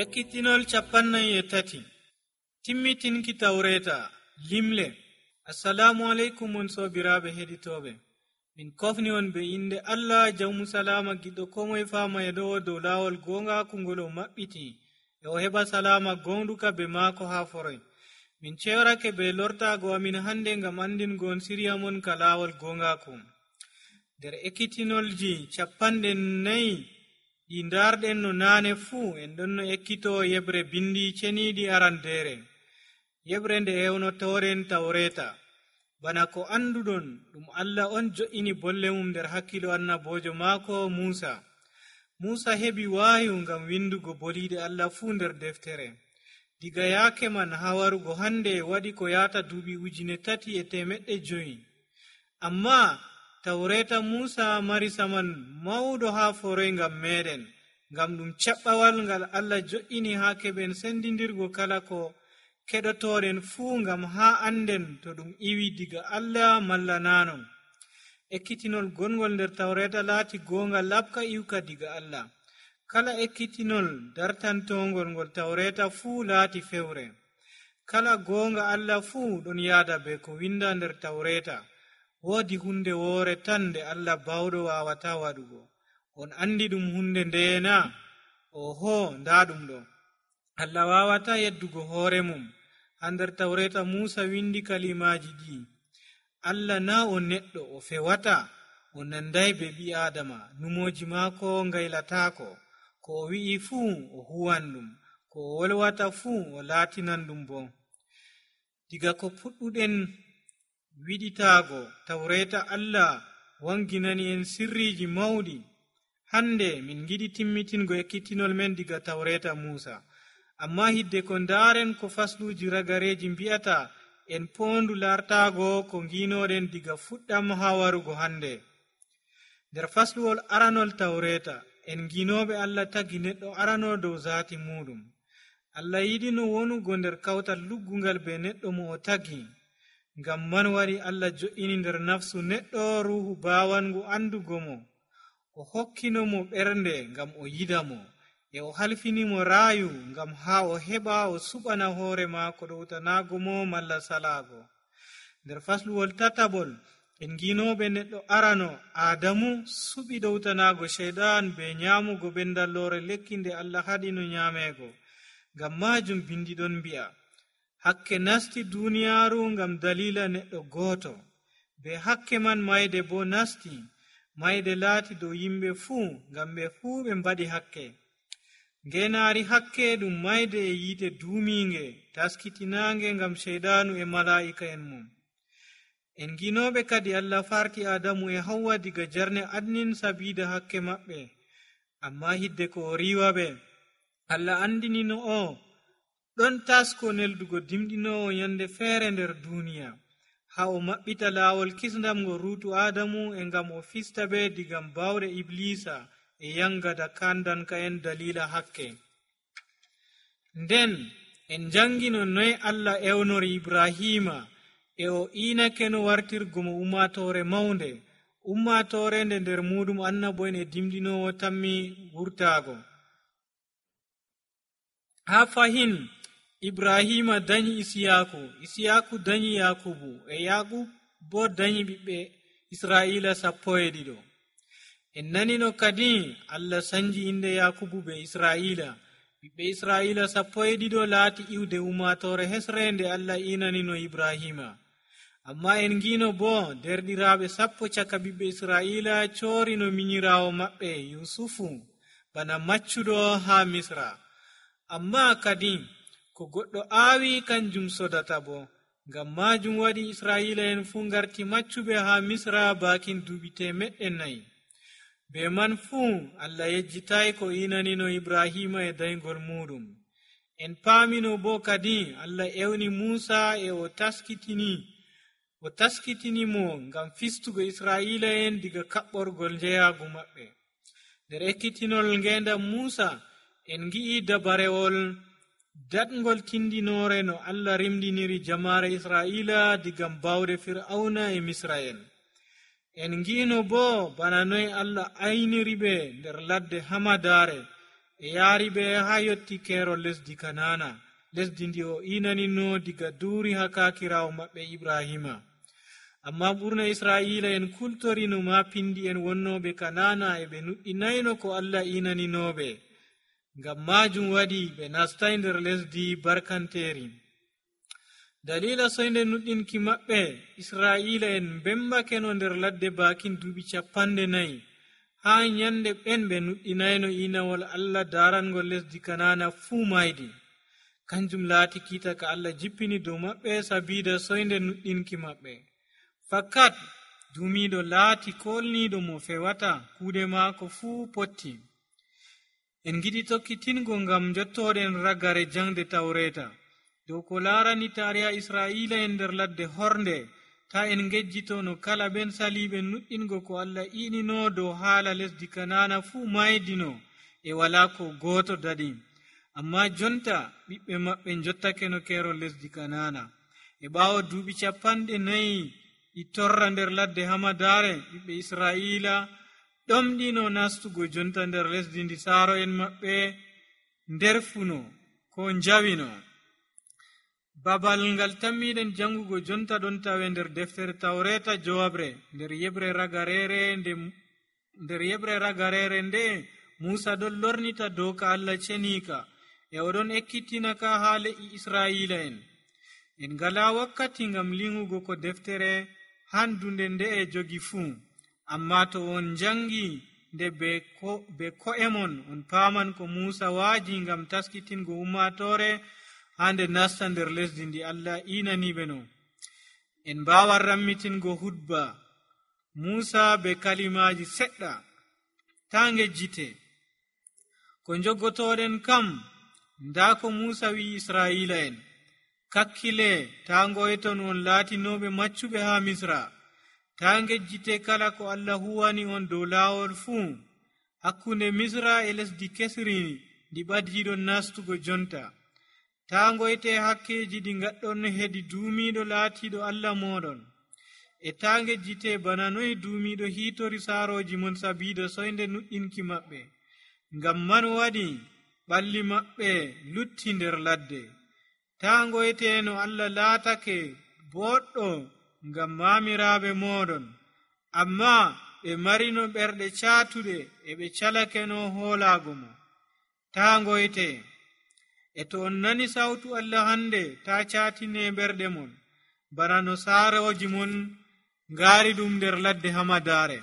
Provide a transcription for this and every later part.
Ekkitinol 43 timmitinki tawreeta limle. Assalamu alaikum on sobiraaɓe heɗitooɓe. Min kofni on be inde Allah jawmu salama giɗɗo komoye faama e dow laawol goongaaku ngol o maɓɓiti e o heɓa salama gonduka be maako haa foroy. Min cewarake be lortaago amin hande ngam andingon siriya mon ka laawol goongaaku. Nder ekkitinolji 40 ɗi ndarɗen no naane fuu en ɗon no ekkitoo yeɓre bindi ceniiɗi arandeere. Yeɓre nde ewnotooren tawreeta. Bana ko anduɗon ɗum Allah on jo'ini bolle mum nder hakkilo annaboojo maako Muusa heɓi waayu ngam windugo boliiɗe Allah fuu nder deftere. Diga yaake man haa warugo hande waɗi ko yaata duuɓi 3,500. Amma tawreeta Muusa mari saman mawɗo haa foroy ngam meɗen, ngam ɗum caɓɓawal ngal Allah jo'ini haa keɓen sendindirgo kala ko keɗotooɗen fuu ngam haa anden to ɗum iwi diga Allah malla naanon. Ekkitinol gongol nder tawreeta laati goonga laɓka iwka diga Allah. Kala ekkitinol dartantongol ngol tawreeta fuu laati fewre. Kala goonga Allah fuu ɗon yaada be ko winda nder tawreeta. Woodi hunde woore tan nde Allah bawɗo waawata waɗugo. On andi ɗum hunde ndeena? Oho, ndaa ɗum ɗo. Allah waawata yeddugo hoore mum. Haa nder tawreeta Muusa windi kalimaaji ɗi. Allah na o neɗɗo o fewata, o nanday be ɓi Aadama, numooji maako ngaylataako. Ko o wi'i fuu o huwan ɗum, ko o wolwata fuu o laatinan ɗum bo. Diga ko puɗɗuɗen wiɗitaago tawreeta Allah wanginani en sirriiji mawɗi. Hande min giɗi timmitingo ekkitinol men diga tawreeta Muusa. Amma hidde ko ndaaren ko fasluuji ragareeji mbi'ata, en poondu lartaago ko ngiinoɗen diga fuɗɗam haa warugo hande. Nder fasluwol aranol tawreeta en ngiinooɓe Allah tagi neɗɗo arano dow zaati muɗum. Allah yiɗino wonugo nder kawtal luggungal be neɗɗo mo o tagi. Ngam man waɗi Allah jo'ini nder nafsu neɗɗo ruuhu baawangu andugo mo. O hokkino mo ɓernde ngam o yiɗa mo, e o halfinimo raayu ngam haa o heɓa o suɓana hoore maako ɗowtanaago mo malla salaago. Nder fasluwol tatabol en ngiinooɓe neɗɗo arano Aadamu suɓi ɗowtanaago Sheyɗan be nyaamugo ɓendalloore lekki nde Allah haɗino nyaameego. Ngam maajum bindi ɗon mbi'a, hakke nasti duuniyaaru ngam dalila neɗɗo gooto, be hakke man mayde bo nasti. Mayde laati dow yimɓe fuu ngam ɓe fuu ɓe mbaɗi hakke. Ngeenaari hakke ɗum mayde e yiite duumiinge taskitinaange ngam Sheyɗaanu e malaa'ika en mum. En ngiinooɓe kadi Allah farti Aadamu e Hawwa diga jarne adnin sabiida hakke maɓɓe. Amma hidde ko o riiwaɓe, Allah andinino o ɗon tasko neldugo dimɗinoowo yande feere nder duuniya, haa o maɓɓita laawol kisndam ngo ruutu Aadamu e ngam o fista ɓe diga bawɗe Iblisa e yangada kandanka en dalila hakke. Nden en jangino noye Allah ewnori Ibrahima e o iinake no wartirgo mo ummatoore mawnde, ummatoore nde nder muɗum annabo'en e dimɗinoowo tammi wurtaago. Haa fahin Ibrahima dañi Isiyaaku dañi Yakubu, e Yakub bo dañi ɓiɓɓe Israa'ila 12. En nanino kadi Allah sanji inde Yakubu be Israa'ila. Ɓiɓɓe Israa'ila 12 laati iwde ummatoore hesre nde Allah inanino Ibrahima. Amma en ngiino bo derɗiraaɓe 10 caka ɓiɓɓe Israa'ila coorino minyiraawo maɓɓe Yusufu bana maccuɗo haa Misra. Amma kadi ko goɗɗo aawi kanjum sodata bo. Ngam maajum waɗi Israa'ila en fuu ngarti maccuɓe haa Misra baakin duuɓi 400. Be man fuu Allah yejjitaay ko inanino Ibrahima e dayngol muɗum. En paamino bo kadi Allah ewni Muusa e o taskitini mo ngam fistugo Israa'ila en diga kaɓɓorgol njeyaagu maɓɓe. Nder ekkitinol ngeendam Muusa en ngi'i dabarewol daɗngol tindinoore no Allah rimdiniri jamaare Israa'ila diga bawɗe Fir'auna e Misra'en. En ngiino bo bana noy Allah ayniri ɓe nder ladde hamadaare e yaari ɓe haa yotti keerol lesdi kanana, lesdi ndi o inanino diga duuri haa kaakiraawo maɓɓe ibrahima. Amma ɓurna israila en kultorino ma pindi en wonnooɓe kanana e ɓe nuɗɗinayno ko Allah inaninooɓe. Ngam maajum waɗi ɓe nastay nder lesdi barkanteeri. Dalila soynde nuɗɗinki maɓɓe, israila en bembakeno nder ladde baakin duuɓi 40 haa nyande ɓen ɓe nuɗɗinayno inawol Allah darangol lesdi kanana fuu maydi. Kanjum laati kiita ka Allah jippini dow maɓɓe sabiida soynde nuɗɗinki maɓɓe. Fakat duumiiɗo laati kolniiɗo mo fewata, kuuɗe maako fuu potti. En giɗi tokkitingo ngam jottooɗen ragare jangde tawreta dow ko laarani tariha israila en nder ladde hornde, ta en ngejjito no kala ɓen saliiɓe nuɗɗingo ko Allah inino dow haala lesdi kanana fuu maydino e walaa ko gooto daɗi. Amma jonta ɓiɓɓe maɓɓe jottake no keerol lesdi kanana. E ɓaawo duuɓi 40 ɗi torra nder ladde hamadaare, ɓiɓɓe israila ɗomɗino nastugo jonta nder lesdi ndi saaro en maɓɓe nder funo ko njawino. Babal ngal tammiɗen jangugo jonta ɗon tawe nder deftere tawreta jowabre nder yeɓre ragarere nde Musa ɗon lornita doka Allah cenika e oɗon ekkitina ka haa le'i israila en ngala wakkati ngam lingugo ko deftere handunde nde e jogi fuu. Amma to on jangi nde be ko'emon on paaman ko Musa waaji ngam taskitingo ummatore hande nasta nder lesdi ndi Allah inaniɓe no. En mbawan rammitingo hudba Musa be kalimaji seɗɗa ta ngejjite. Ko jogotoɗen kam nda ko Musa wi israila en: kakkile ta ngoyton on laatinoɓe maccuɓe ha Misra, ta ngejjite kala ko Allah huwani on dow laawol fuu. Hakkunde Misra e lesdi kesri ndi ɓadiɗon nastugo jonta. Ta ngoyte hakkeji ɗi gaɗɗon hedi duumiɗo laatiɗo Allah moɗon. E ta ngejjite bana noy duumiɗo hiitori saaroji mon sabiida soynde nuɗɗinki maɓɓe. Ngam man waɗi ɓalli maɓɓe lutti nder ladde. Ta ngoyte no Allah laatake boɗɗo ngam maamiraaɓe moɗon, amma ɓe marino ɓerɗe caatuɗe e ɓe calake no hoolaago mo. Ta ngoyte. E to on nani sawtu Allah hande, ta caatine ɓerɗe mon bana no saaroji mon ngaari ɗum nder ladde hamadaare.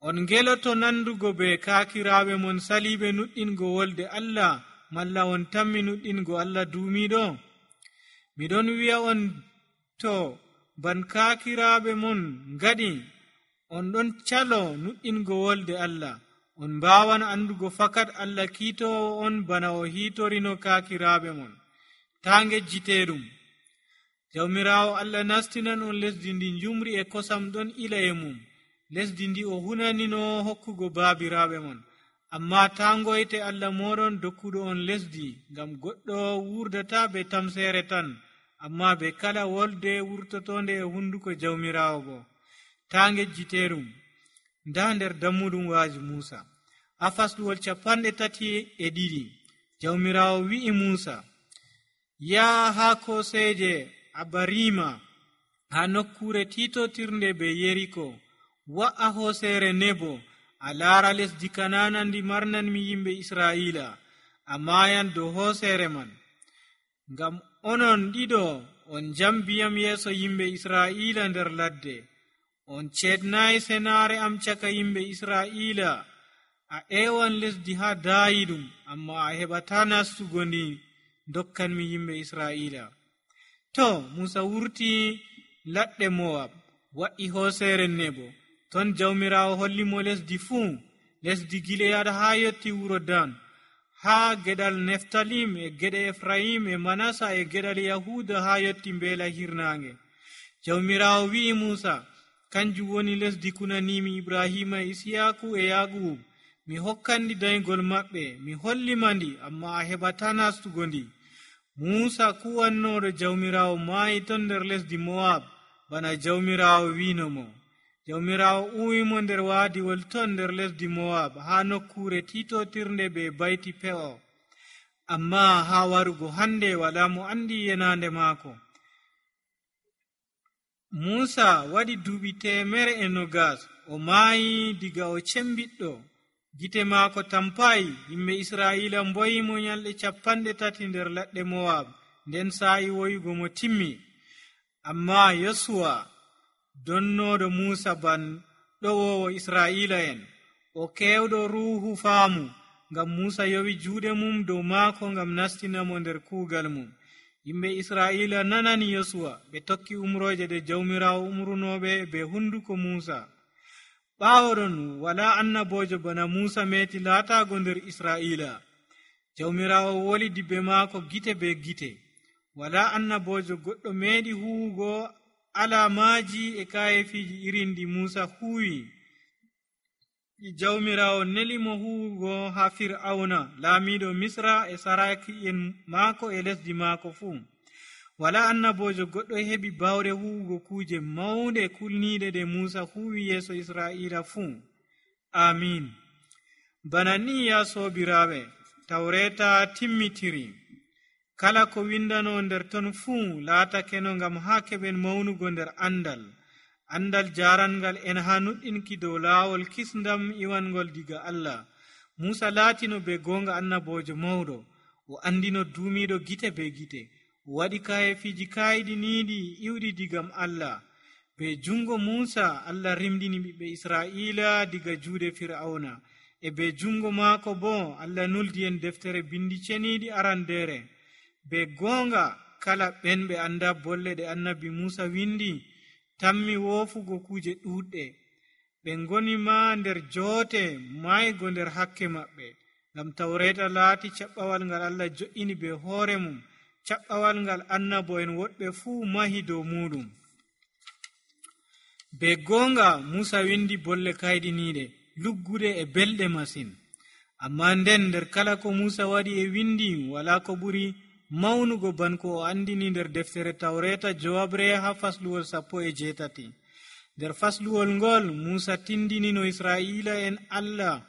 On ngeloto nandugo be kaakiraaɓe mon saliiɓe nuɗɗingo wolde Allah, malla on tammi nuɗɗingo Allah duumiɗo? Miɗon wi'a on, to ban kaakiraaɓe mon ngaɗi, on ɗon calo nuɗɗingo wolde Allah. On mbawan andugo fakat Allah kiitowo on bana o hiitorino kaakiraaɓe mon. Ta ngejjiteɗum. Jawmiraawo Allah nastinan on lesdi ndi njumri e kosam ɗon ila e mum, lesdi ndi o hunanino hokkugo baabiraaɓe mon. Amma ta ngoyte Allah moɗon dokkuɗo on lesdi, ngam goɗɗo wurdata be tamsere tan, amma be kala wolde wurtotonde e hunduko jawmiraawo bo. Ta ngejjiteɗum. Nda nder dammuɗum waaji Musa ha fasɗuwol 32 jawmiraawo wi'i Musa: yaa ha koseje Abarima, ha nokkure titotirnde be Yeriko, wa'a hosere Nebo, a laara lesdi kanana ndi marnanmi yimɓe Israila, a mayan dow hosere man. Ngam onon ɗiɗo on jambiyam yeeso yimɓe Israila nder ladde. On ceednayi senaare am caka yimɓe Israila. A ewan lesdi ha daayiɗum, amma a heɓata nastugo ndi dokkanmi yimɓe Israila. To Musa wurti ladde Moab, wa'i hosere Nebo. Ton jawmiraawo hollimo lesdi fuu, lesdi Gilead ha yotti wuro Dan, ha geɗal Neftalim e geɗe Efraim e Manasa e geɗal Yahuda ha yotti mbeela hirnaange. Jawmiraawo wi'i Musa: kanjum woni lesdi kunanimi Ibrahima, Isiyaku e Yaaqub. Mi hokkandi daygol maɓɓe, mi hollima ndi, amma a heɓata nastugo ndi. Musa kuwannoɗo jawmiraawo maayi ton nder lesdi Moab, bana jawmiraawo wino mo. jawmirawo uwimo nder waadiwol ton nder lesdi mowab haa nokkure titotirnde be bayti pe'o, amma haa warugo hande wala mo andi yenande maako. Muusa waɗi duuɓi 120 o maayi diga o cembiɗɗo, gite maako tampayi. Yimɓe Israa'iila mboyimo nyalɗe 30 nder ladde mowab, nden sa'i woyugo mo timmi. Amma Yosuwa donnoɗo Muusa ban ɗowowo Israa'iila'en, o kewɗo ruuhu faamu, ngam Muusa yowi juuɗe mum dow maako ngam nastinamo nder kuugal mum. Yimɓe Israa'iila nanani Yosuwa, ɓe tokki umroje ɗe jawmirawo umrunoɓe be hunduko Muusa. ɓaawo ɗon wala annabojo bana Muusa meti laatago nder Israa'iila. Jawmirawo woli dibbe maako gite be gite. Wala annabojo goɗɗo meeɗi huwugo alamaaji e kayefiji irin ɗi Muusa huwi. Jawmirawo nelimo huwugo ha Fir'auna laamiɗo Misra e saraki'en maako e lesdi maako fuu. Wala annabojo goɗɗo heɓi bawɗe huwugo kuje maunde kulniɗe ɗe Muusa huwi yeeso Israa'iila fuu. Amin. Bana ni ya sobiraɓe, Tawreta timmitiri. Kala ko windano nder ton fuu laatakeno ngam haa keɓen maunugo nder andal jarangal en haa nuɗɗinki dow laawol kisndam iwangol diga Allah. Muusa laatino be gonga annabojo mawɗo, o andino duumiɗo gite be gite, o waɗi kayefiji kayɗiniiɗi iwɗi digam Allah. Be jungo Muusa Allah rimdini ɓiɓɓe Israa'iila diga juuɗe Fir'auna, e be jungo maako bo Allah nuldi en deftere bindi ceniiɗi arandere. Be gonga kala ɓen ɓe anda bolle ɗe annabi Muusa windi tammi woofugo kuje ɗuɗɗe. Ɓe ngoni ma nder joote maygo nder hakke maɓɓe, ngam Tawreta laati caɓɓawal ngal Allah jo'ini be hoore mum, caɓɓawal ngal annabo'en woɗɓe fuu mahi dow muɗum. Be gonga Muusa windi bolle kayɗiniiɗe, lugguɗe e belɗe masin. Amma nden nder kala ko Muusa waɗi e windi wala ko ɓuri mawnugo ban ko o andini nder deftere Tawreta jowabre ha fasluwol 18. Nder fasluwol ngol Muusa tindinino Israa'iila en Allah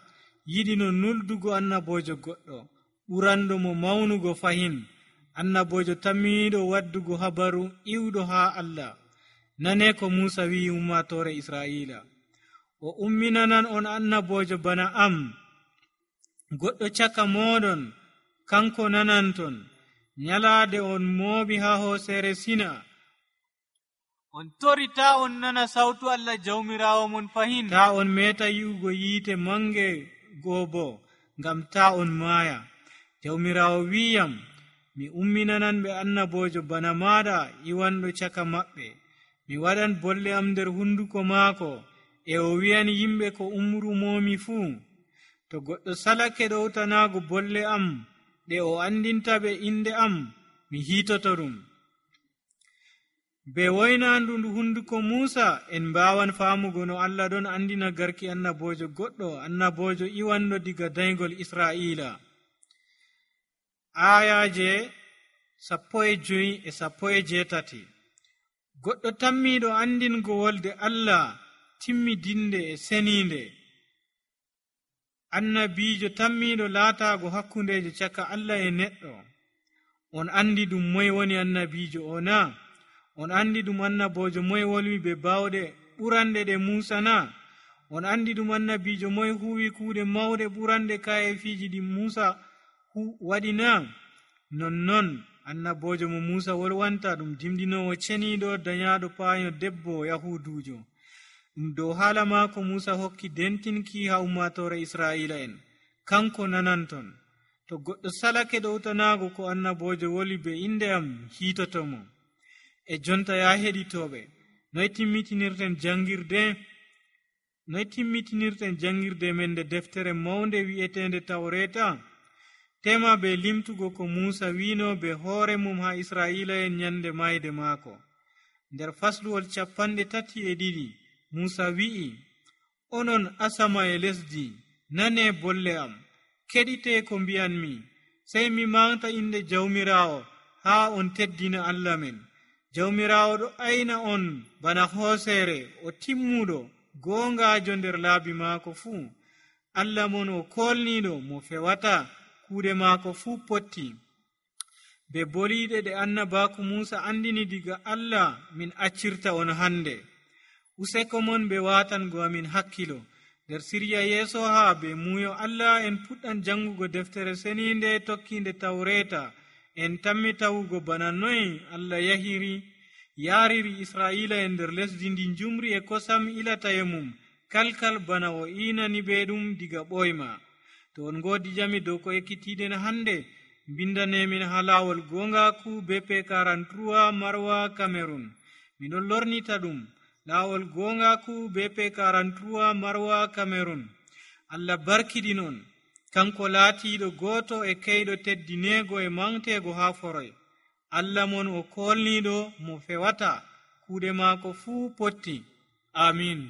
yiɗino nuldugo annabojo goɗɗo ɓuranɗo mo mawnugo fahin, annabojo tammiɗo waddugo habaru iwɗo ha Allah. Nane ko Muusa wi'i ummatore Israa'iila: o umminanan on annabojo bana am, goɗɗo caka moɗon, kanko nananton. Nyalaade on mooɓi ha hoosere Sina, on tori ta on nana sawtu Allah jawmirawo mon fahin, ta on meta yi'ugo yiite mange goobo, ngam ta on maaya. Jawmirawo wi'yam, mi umminanan ɓe annabojo bana maɗa iwanɗo caka maɓɓe. Mi waɗan bolle am nder hunduko maako, e o wi'an yimɓe ko umrumomi fuu. To goɗɗo salake ɗowtanago bolle am ɗe o andinta ɓe inde am, mi hiitoto ɗum. Be woynandu hunduko Muusa en mbawan faamugo no Allah ɗon andina garki annabojo goɗɗo, annabojo iwanɗo diga daygol Israa'iila. Ayaje 15 e 18. Goɗɗo tammiɗo andingo wolde Allah timmidinde e seninde. Annabijo tammiɗo laatago hakkundeje caka Allah e neɗɗo. On andi ɗum moye woni annabijo o na? On andi ɗum annabojo moye wolwi be bawɗe ɓuranɗe ɗe Muusa na? On andi ɗum annabijo moye huwi kuuɗe mawɗe ɓuranɗe kayefiji ɗi Muusa waɗi na? Nonnon annabojo mo Muusa wolwanta ɗum dimdinowo ceniɗo dañaɗo paayo debbo Yahudujo. Ɗum dow haala maako Muusa hokki dentinki ha ummatore Israa'iila en, kanko nananton. To goɗɗo salake ɗowtanago ko annabojo woli be inde am, hiitotomo. E jonta ya heɗitoɓe, noy timmitinirten jangirde men nde deftere mawnde wi'etende Tawreta? Tema be limtugo ko Muusa wino be hoore mum ha Israa'iila en nyande mayde maako. Nder fasluwol 32 Muusa wi'i: onon asama e lesdi, nane bolle am, keɗite ko mbi'anmi, sey mi manta inde jawmirawo haa on teddina Allah men. Jawmirawo ɗo ayna on bana hoosere, o timmuɗo, goongaajo nder laabi maako fuu. Allah mon o kolniiɗo mo fewata, kuuɗe maako fuu potti. Be boliiɗe ɗe annabaaku Muusa andini diga Allah min accirta on hande. Useko mon be waatango amin hakkilo nder sirya yeeso haa be muuyo Allah en puɗɗan jangugo deftere seniinde tokkiinde tawreeta. En tammi tawugo bana noy Allah yaariri Israa'ila en nder lesdi ndi njumri e kosam ilata e mum kalkal bana o inani ɓe ɗum diga ɓoyma. To on ngoodi jami dow ko ekkitiiɗen hande, mbindanemin ha laawol gongaku BP 43 Marwa Cameroon. Miɗon lornita ɗum laawol gongaku BP 43 Marwa Cameroon. Allah barkiɗinon, kanko laatiiɗo gooto e keyɗo teddineego e mangteego haa foroy. Allah mon o kolniiɗo mo fewata, kuuɗe maako fuu potti. Amin.